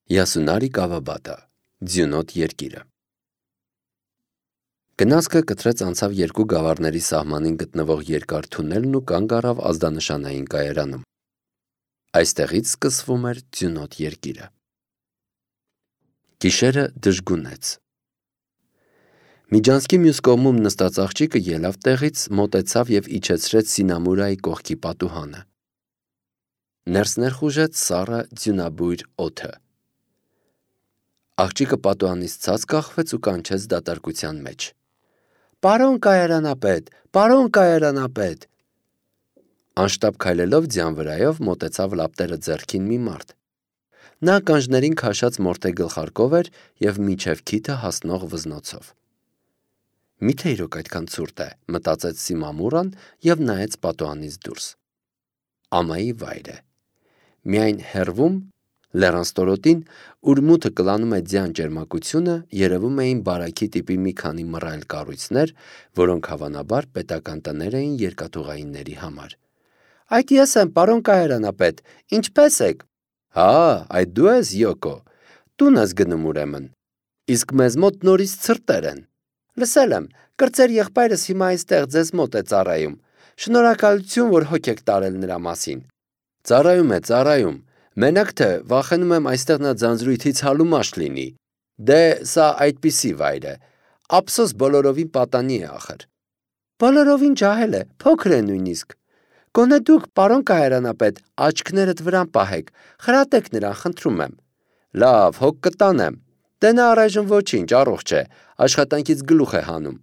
Յասունարի Կավաբատա, Ձյունոտ երկիրը։ Գնացքը կտրեց անցավ երկու գավառների սահմանին գտնվող երկար թունելն ու կանգ առավ ազդանշանային կայարանում։ Այստեղից սկսվում էր Ձյունոտ երկիրը։ Գիշերը դժգունեց։ Միջանցքի մյուս կողմում նստած աղջիկը ելավ տեղից, մոտեցավ և իջեցրեց Սինամուրայի կողքի պատուհանը։ Ներս ներխուժեց սառը ձյունաբույր օդը։ Աղջիկը պատուհանից ցած կախվեց ու կանչեց դատարկության մեջ. «Պարոն կայարանապետ, պարոն կայարանապետ»։ Անշտապ քայլելով ձյան վրայով մոտեցավ լապտերը ձեռքին մի մարդ։ Նա կանժներին քաշած մորթե գլխարկով էր և մինչև քիթը հասնող վզնոցով։ Միթե իրոք այդքան ցուրտ է, մտածեց Սիմամուրան և նայեց պատուհանից դուրս։ Ամայի վայր է։ Միայն հեռվում, լեռան ստորոտին, ուր մութը կլանում է ձյան ճերմակությունը, երևում էին բարաքի տիպի մի քանի մռայլ կառույցներ, որոնք հավանաբար պետական տներ էին երկաթուղայինների համար։ «Այդ ես եմ, պարոն կայարանապետ, ինչպե՞ս եք»։ «Հա, այդ դու ես, Յոկո, տուն ես գնում ուրեմն։ Իսկ մեզ մոտ նորից ցրտեր են։ Լսել եմ, կրտսեր եղբայրս հիմա այստեղ ձեզ մոտ է ծառայում։ Շնորհակալություն, որ հոգ եք տարել նրա մասին»։ «Ծառայում է, ծառայում։ Մենակ թե վախենում եմ այստեղ նա ձանձրույթից հալումաշ լինի։ Դե սա այդպիսի վայր է։ Ափսոս բոլորովին պատանի է ախր»։ «Բոլորովին ջահել է, փոքր է նույնիսկ։ Գոնե դուք, պարոն կայարանապետ, աչքներդ վրան պահեք, խրատեք նրան, խնդրում եմ»։ «Լավ, հոգ կտանեմ։ Դե նա առայժմ ոչինչ, առողջ է, աշխատանքից գլուխ է հանում։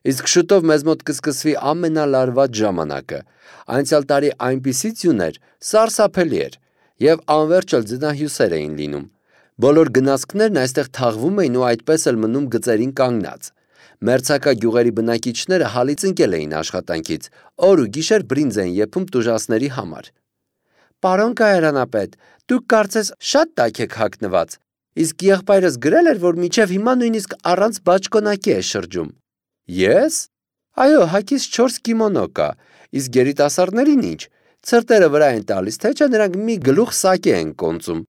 Իսկ շուտով մեզ մոտ կսկսվի ամենալարված ժամանակը։ Անցյալ տարի այնպիսի ձյուն էր, սարսափելի էր, և անվերջ էլ ձնահյուսեր էին լինում։ Բոլոր գնացքներն այստեղ թաղվում էին ու այդպես էլ մնում գծերին կանգնած։ Մերձակա գյուղերի բնակիչները հալից ընկել էին աշխատանքից, օր ու գիշեր բրինձ էին եփում տուժածների համար։ «Պարոն կայարանապետ, դուք կարծես շատ տաք եք հագնված, իսկ եղբայրս գրել էր, որ մինչև հիմա նույնիսկ առանց բաճկոնակի է շրջում»։ «Ես»։ «Այո, հագիս 4 կիմոնո կա, իսկ երիտասարդներին ինչ, ցրտերը վրա են տալիս, թե չէ նրանք մի գլուխ սակե են կոնծում,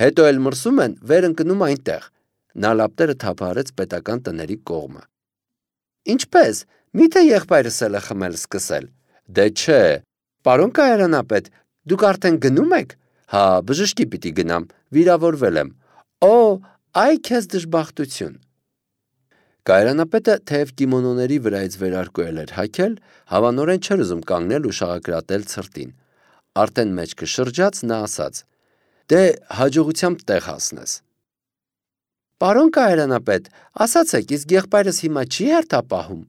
հետո էլ մրսում են, վեր ընկնում այնտեղ»։ Նա լապտերը թափահարեց պետական տների կողմը։ «Ինչպե՞ս, միթե եղբայրս էլ է խմել սկսել»։ «Դե չէ»։ «Պարոն կայարանապետ, դուք արդեն գնում եք»։ «Հա, բժշկի պիտի գնամ, վիրավորվել եմ»։ «Օ, այ քեզ դժբախտություն»։ Կայարանապետը, թեև կիմոնոների վրայից վերարկու էր հագել, հավանորեն չէր ուզում կանգնել ու շաղակրատել ցրտին։ Արդեն մեջքը շրջած, նա ասաց. «Դե հաջողությամբ տեղ հասնես»։ «Պարոն կայարանապետ, ասացեք, իսկ եղբայրս հիմա չի հերթապահում»։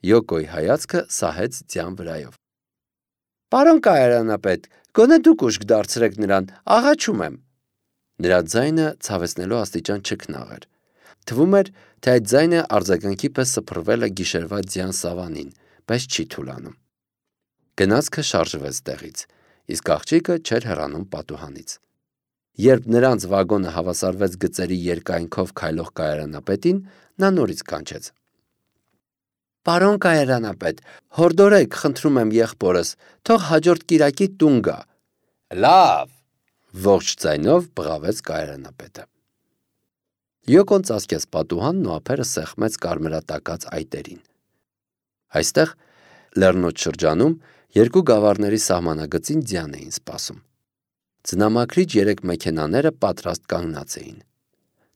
Յոկոյի հայացքը սահեց ձյան վրայով։ «Պարոն կայարանապետ, գոնե դուք ուշք դարձրեք նրան, աղաչում եմ»։ Նրա ձայնը ցավեցնելու աստիճան չքնաղ էր։ Թվում էր, թե այդ ձայնը արձագանքի պես սփռվել է գիշերվա ձյան սավանին, բայց չի թուլանում։ Գնացքը շարժվեց տեղից, իսկ աղջիկը չէր հեռանում պատուհանից։ Երբ նրանց վագոնը հավասարվեց գծերի երկայնքով քայլող կայարանապետին, նա նորից կանչեց. «Պարոն կայարանապետ, հորդորեք, խնդրում եմ եղբորս, թող հաջորդ կիրակի տուն գա»։ «Լավ», ողջ ձայնով բղավեց կայարանապետը։ Յոկոն ծածկեց պատուհանն ու ափերը սեղմեց կարմրատակած այտերին։ Այստեղ, լեռնոտ շրջանում, երկու գավառների սահմանագծին ձյան էին սպասում։ Ձնամաքրիչ 3 մեքենաները պատրաստ կանգնած էին։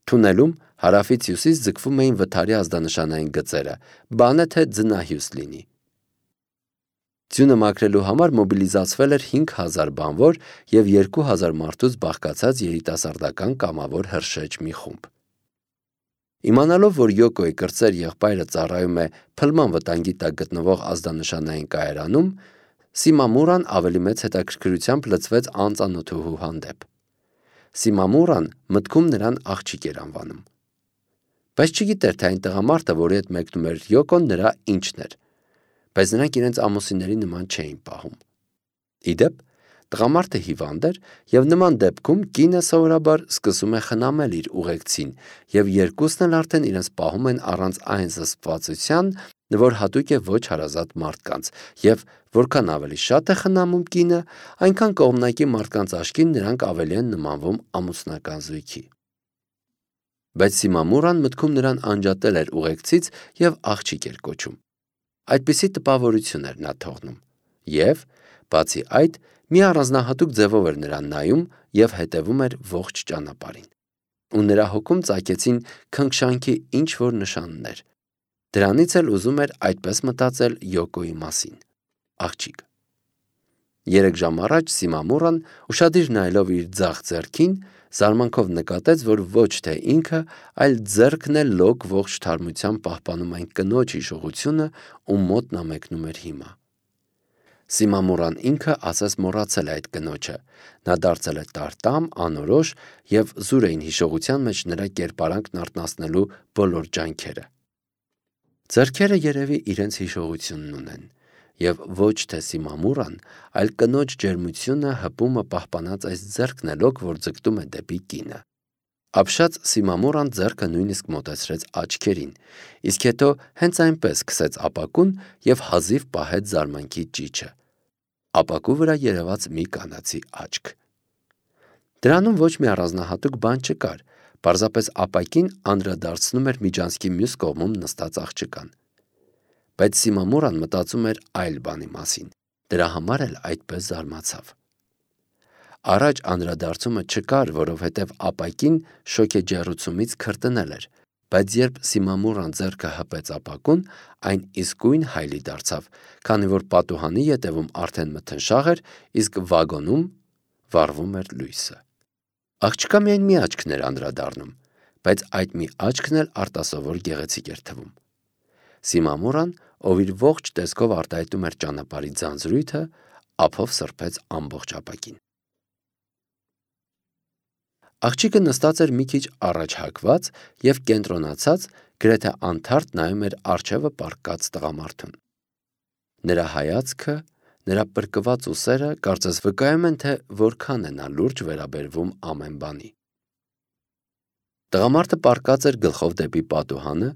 Թունելում հարավից հյուսիս ձգվում էին վթարի ազդանշանային գծերը, բանը թե ձնահյուս լինի։ Ձյունը մաքրելու համար մոբիլիզացվել էր 5000 բանվոր և 2000 մարդուց բաղկացած երիտասարդական կամավոր հրշեջ մի խումբ։ Իմանալով, որ Յոկոյի կրտսեր եղբայրը ծառայում է փլման վտանգի տակ գտնվող ազդանշանային կայարանում, Սիմամուրան ավելի մեծ հետաքրքրությամբ լծվեց անծանոթուհու հանդեպ։ Սիմամուրան մտքում նրան աղջիկ էր անվանում։ Բայց չգիտեր, թե այն տղամարդը, որի հետ մեկնում էր Յոկոն, նրա ինչն էր, բայց նրանք իրենց ամուսինների նման չէին պահում։ Ի դեպ, տղամարդը հիվանդ էր, և նման դեպքում կինը սովորաբար սկսում է խնամել իր ուղեկցին, և երկուսն էլ արդեն իրենց պահում են առանց այն զսպվածության, որ հատուկ է ոչ հարազատ մարդկանց, և որքան ավելի շատ է խնամում կինը, այնքան կողմնակի մարդկանց աչքին նրանք ավելի են նմանվում ամուսնական զույգի։ Բայց Սիմամուրան մտքում նրան անջատել էր ուղեկցից և աղջիկ էր կոչում։ Այդպիսի տպավորություն էր նա թողնում։ Եվ, բացի այդ, մի առանձնահատուկ ձևով էր նրան նայում և հետևում էր ողջ ճանապարհին։ Ու նրա հոգում ծագեցին քնքշանքի ինչ-որ նշաններ։ Դրանից էլ ուզում էր այդպես մտածել Յոկոյի մասին։ Աղջիկ։ 3 ժամ առաջ Սիմամուրան, ուշադիր նայելով իր ձախ ձեռքին, զարմանքով նկատեց, որ ոչ թե ինքը, այլ ձեռքն է լոկ ողջ թարմությամբ պահպանում այն կնոջ հիշողությունը, ում մոտ նա մեկնում էր հիմա։ Սիմամուրան ինքը ասես մոռացել է այդ կնոջը, նա դարձել է տարտամ, անորոշ և զուր էին հիշողության մեջ նրա կերպարանքն արթնացնելու բոլոր ջանքերը։ Ձեռքերը երևի իրենց հիշողությունն ունեն, և ոչ թե Սիմամուրան, այլ կնոջ ջերմությունը, հպումը պահպանած այս ձեռքն է լոկ, որ ձգտում է դեպի կինը։ Ապշած Սիմամուրան ձեռքը նույնիսկ մոտեցրեց աչքերին, իսկ հետո հենց այնպես քսեց ապակուն և հազիվ պահեց զարմանքի ճիչը։ Ապակու վրա երևաց մի կանացի աչք։ Դրանում ոչ մի առանձնահատուկ բան չկար, պարզապես ապակին անդրադարձնում էր միջանցքի մյուս կողմում նստած աղջկան։ Բայց Սիմամուրան մտածում էր այլ բանի մասին, դրա համար էլ այդպես զարմացավ։ Առաջ անդրադարձումը չկար, որովհետև ապակին շոգեջեռուցումից քրտնել էր, բայց երբ Սիմամուրան ձեռքը հպեց ապակուն, այն իսկույն հայլի դարձավ, քանի որ պատուհանի ետևում արդեն մթնշաղ էր, իսկ վագոնում վառվում էր լույսը։ Աղջկա միայն մի աչքն էր անդրադառնում, բայց այդ մի աչքն էլ արտասովոր գեղեցիկ էր թվում։ Սիմամուրան, ով իր ողջ տեսքով արտահայտում էր ճանապարհի ձանձրույթը, ափով սրբեց ամբողջ ապակին։ Աղջիկը նստած էր մի քիչ առաջ հակված և կենտրոնացած, գրեթե անթարթ նայում էր առջևը պառկած տղամարդուն։ Նրա հայացքը, նրա պրկված ուսերը կարծես վկայում են, թե որքան է նա լուրջ վերաբերվում ամեն բանի։ Տղամարդը պառկած էր գլխով դեպի պատուհանը,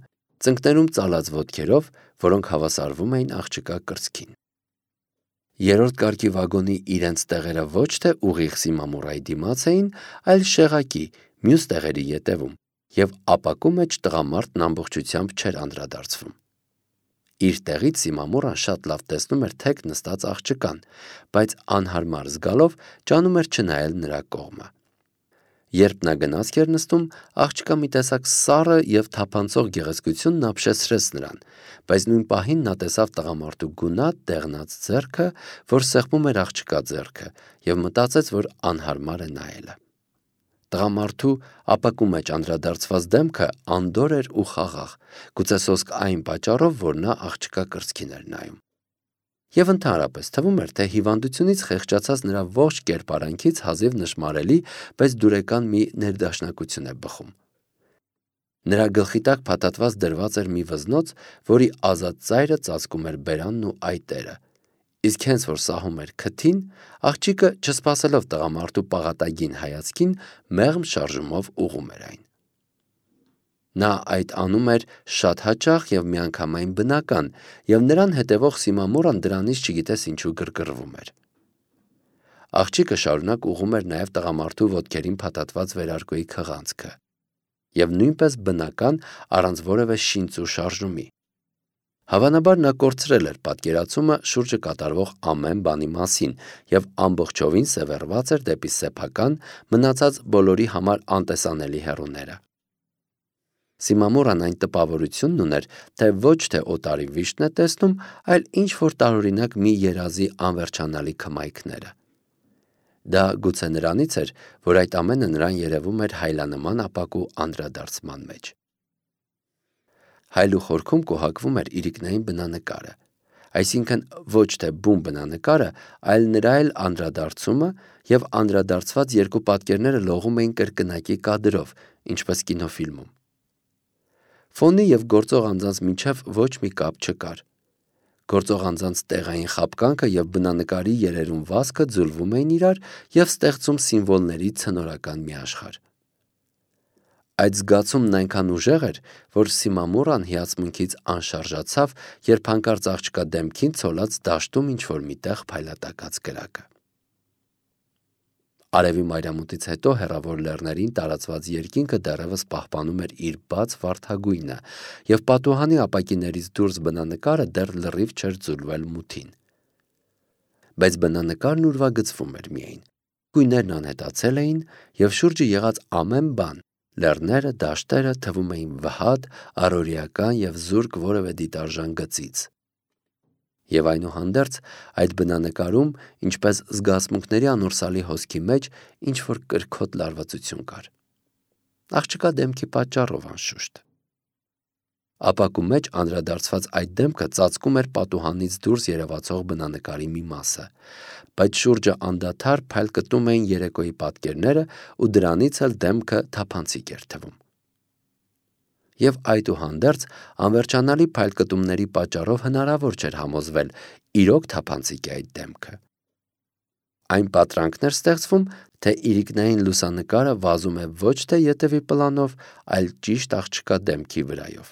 ծնկներում ծալած ոտքերով, որոնք հավասարվում էին աղջկա կրծքին։ Երրորդ կարգի վագոնի իրենց տեղերը ոչ թե ուղիղ Սիմամուրայի դիմաց էին, այլ շեղակի, մյուս տեղերի ետևում, և ապակու մեջ տղամարդն ամբողջությամբ չէր անդրադարձվում։ Իր տեղից Սիմամուրան շատ լավ տեսնում էր թեք նստած աղջկան, բայց անհարմար զգալով ջանում էր չնայել նրա կողմը։ Երբ նա գնացք էր նստում, աղջկա մի տեսակ սառը և թափանցող գեղեցկությունն ապշեցրեց նրան, բայց նույն պահին նա տեսավ տղամարդու գունատ, դեղնած ձեռքը, որ սեղմում էր աղջկա ձեռքը, և մտածեց, որ անհարմար է նայելը։ Տղամարդու ապակու մեջ անդրադարձված դեմքը անդորր էր ու խաղաղ, գուցե սոսկ այն պատճառով, որ նա աղջկա կրծքին էր նայում։ Եվ ընդհանրապես թվում էր, թե հիվանդությունից խեղճացած նրա ողջ կերպարանքից հազիվ նշմարելի, բայց դուրեկան մի ներդաշնակություն է բխում։ Նրա գլխի տակ փաթաթված դրված էր մի վզնոց, որի ազատ ծայրը ծածկում էր բերանն ու այտերը, իսկ հենց որ սահում էր քթին, աղջիկը, չսպասելով տղամարդու պաղատագին հայացքին, մեղմ շարժումով ուղղում էր այն։ Նա այդ անում էր շատ հաճախ և միանգամայն բնական, և նրան հետևող Սիմամուրան դրանից չգիտես ինչու գրգռվում էր։ Աղջիկը շարունակ ուղղում էր նաև տղամարդու ոտքերին փաթաթված վերարկուի քղանցքը, և նույնպես բնական, առանց որևէ շինծ ու շարժումի։ Հավանաբար նա կորցրել էր պատկերացումը շուրջը կատարվող ամեն բանի մասին և ամբողջովին սևեռված էր դեպի սեփական, մնացած բոլորի համար անտեսանելի հեռուները։ Սիմամուրան այն տպավորությունն ուներ, թե ոչ թե օտարի վիշտն է տեսնում, այլ ինչ-որ տարօրինակ մի երազի անվերջանալի քմայքները։ Դա գուցե նրանից էր, որ այդ ամենը նրան երևում էր հայլանման ապակու անդրադարձման մեջ։ Հայլու խորքում կոհակվում էր իրիկնային բնանկարը, այսինքն ոչ թե բուն բնանկարը, այլ նրա էլ անդրադարձումը, և անդրադարձված երկու պատկերները լողում էին կրկնակի կադրով, ինչպես կինոֆիլմում։ Ֆոնի և գործող անձանց միջև ոչ մի կապ չկար։ Գործող անձանց տեղային խաբկանքը և բնանկարի երերուն վազքը ձուլվում էին իրար և ստեղծում սիմվոլների ցնորական մի աշխարհ։ Այդ զգացումն այնքան ուժեղ էր, որ Սիմամուրան հիացմունքից անշարժացավ, երբ հանկարծ աղջկա դեմքին ցոլած դաշտում ինչ-որ մի տեղ փայլատակաց կրակը։ Արևի մայրամուտից հետո հեռավոր լեռներին տարածված երկինքը դեռևս պահպանում էր իր բաց վարդագույնը, և պատուհանի ապակիներից դուրս բնանկարը դեռ լրիվ չէր ձուլվել մութին։ Բայց բնանկարն ուրվագծվում էր միայն։ Գույներն անհետացել էին, և շուրջը եղած ամեն բան՝ լեռները, դաշտերը թվում էին վհատ, առօրեական և զուրկ որևէ դիտարժան գծից։ Եվ այնուհանդերձ այդ բնանկարում, ինչպես զգացմունքների անորսալի հոսքի մեջ, ինչ-որ կրքոտ լարվածություն կար։ Աղջկա դեմքի պատճառով, անշուշտ։ Ապակու մեջ անդրադարձված այդ դեմքը ծածկում էր պատուհանից դուրս երևացող բնանկարի մի մասը, բայց շուրջը անդադար փայլկտում էին երեկոյի պատկերները, ու դրանից էլ դեմքը թափանցիկ էր թվում։ Եվ այդուհանդերձ անվերջանալի փայլկտումների պատճառով հնարավոր չէր համոզվել իրոք թափանցիկ է այդ դեմքը։ Այն պատրանքն էր ստեղծվում, թե իրիկնային լուսանկարը վազում է ոչ թե ետևի պլանով, այլ ճիշտ աղջկա դեմքի վրայով։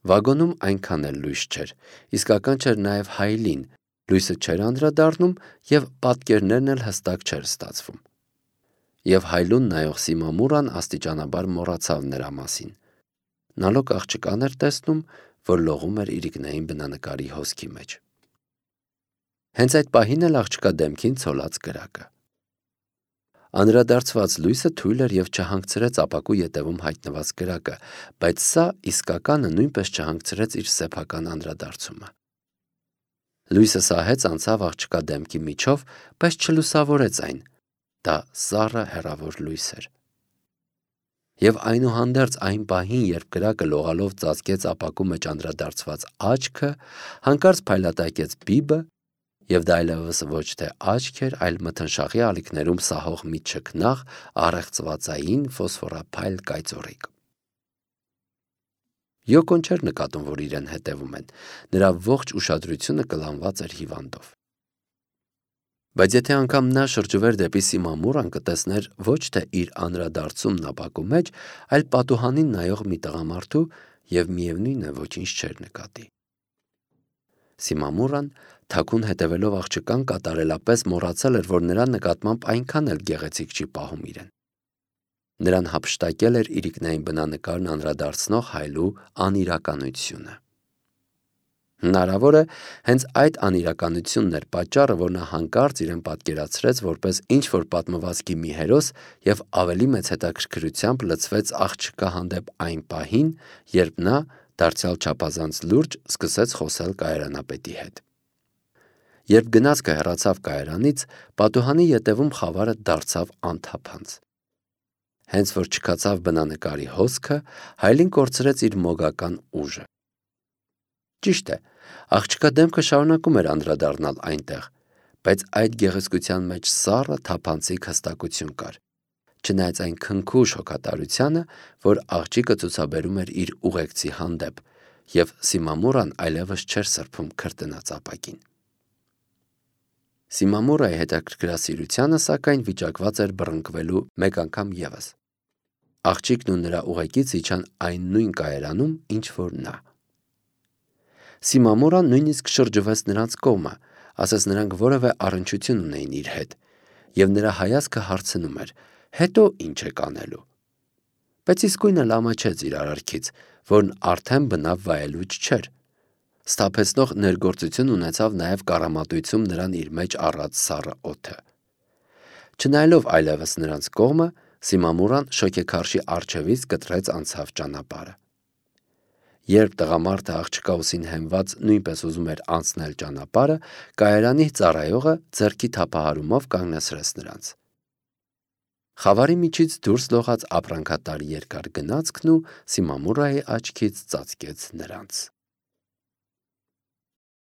Վագոնում այնքան էլ լույս չէր, իսկական չէր նաև հայելին, լույսը չէր անդրադառնում, և պատկերներն էլ հստակ չէր ստացվում։ Եվ հայլուն նայող Սիմամուրան աստիճանաբար մոռացավ նրա մասին։ Նա լոկ աղջկան էր տեսնում, որ լողում էր իրիկնային բնանկարի հոսքի մեջ։ Հենց այդ պահին էլ աղջկա դեմքին ցոլաց կրակը։ Անդրադարձված լույսը թույլ էր և չհանգցրեց ապակու ետևում հայտնված կրակը, բայց սա իսկականը նույնպես չհանգցրեց իր սեփական անդրադարձումը։ Լույսը սահեց անցավ աղջկա դեմքի միջով, բայց չլուսավորեց այն։ Դա սառը հեռավոր լույս էր։ Եվ այնուհանդերձ այն պահին, երբ կրակը լողալով ծածկեց ապակու մեջ անդրադարձված աչքը, հանկարծ փայլատակեց բիբը, և դա այլևս ոչ թե աչք էր, այլ մթնշաղի ալիքներում սահող մի չքնաղ, առեղծվածային, ֆոսֆորափայլ կայծոռիկ։ Յոկոն չէր նկատում, որ իրեն հետևում են, նրա ողջ ուշադրությունը կլանված էր հիվանդով։ Բայց եթե անգամ նա շրջվեր դեպի Սիմամուրան, կտեսներ ոչ թե իր անդրադարձումն ապակու մեջ, այլ պատուհանին նայող մի տղամարդու, և միևնույն է, ոչինչ չէր նկատի։ Սիմամուրան, թաքուն հետևելով աղջկան, կատարելապես մոռացել էր, որ նրա նկատմամբ այնքան էլ գեղեցիկ չի պահում իրեն։ Նրան հափշտակել էր իրիկնային բնանկարն անդրադարձնող հայլու անիրականությունը։ Հնարավոր է, հենց այդ անիրականությունն էր պատճառը, որ նա հանկարծ իրեն պատկերացրեց որպես ինչ-որ պատմվածքի մի հերոս և ավելի մեծ հետաքրքրությամբ լցվեց աղջկա հանդեպ այն պահին, երբ նա, դարձյալ չափազանց լուրջ, սկսեց խոսել կայարանապետի հետ։ Երբ գնացքը հեռացավ կայարանից, պատուհանի ետևում խավարը դարձավ անթափանց։ Հենց որ չքացավ բնանկարի հոսքը, հայլին կորցրեց իր մոգական ուժը։ Ճիշտ է, աղջկա դեմքը շարունակում էր անդրադառնալ այնտեղ, բայց այդ գեղեցկության մեջ սառը թափանցիկ հստակություն կար, չնայած այն քնքուշ հոգատարությանը, որ աղջիկը ցուցաբերում էր իր ուղեկցի հանդեպ, և Սիմամուրան այլևս չէր սրբում քրտնած ապակին։ Սիմամուրայի հետաքրքրասիրությանը, սակայն, վիճակված էր բռնկվելու մեկ անգամ ևս։ Աղջիկն ու նրա ուղեկիցը իջան այն նույն կայարանում, ինչ որ նա։ Սիմամուրան նույնիսկ շրջվեց նրանց կողմը, ասես նրանք որևէ առնչություն ունեին իր հետ, և նրա հայացքը հարցնում էր. «Հետո ինչ եք անելու»։ Բայց իսկույնը լամաչեց իր արարքից, որն արդեն բնավ վայելուչ չէր։ Սթափեցնող ներգործություն ունեցավ նաև կառամատույցում նրան իր մեջ առած սառը օդը։ Չնայելով այլևս նրանց կողմը, Սիմամուրան շոգեքարշի առջևից կտրեց անցավ ճանապարհը։ Երբ տղամարդը աղջկա ուսին հենված նույնպես ուզում էր անցնել ճանապարհը, կայարանի ծառայողը ձեռքի թափահարումով կանգնեցրեց նրանց։ Խավարի միջից դուրս լողած ապրանքատար երկար գնացքն ու Սիմամուրայի աչքից ծածկեց նրանց։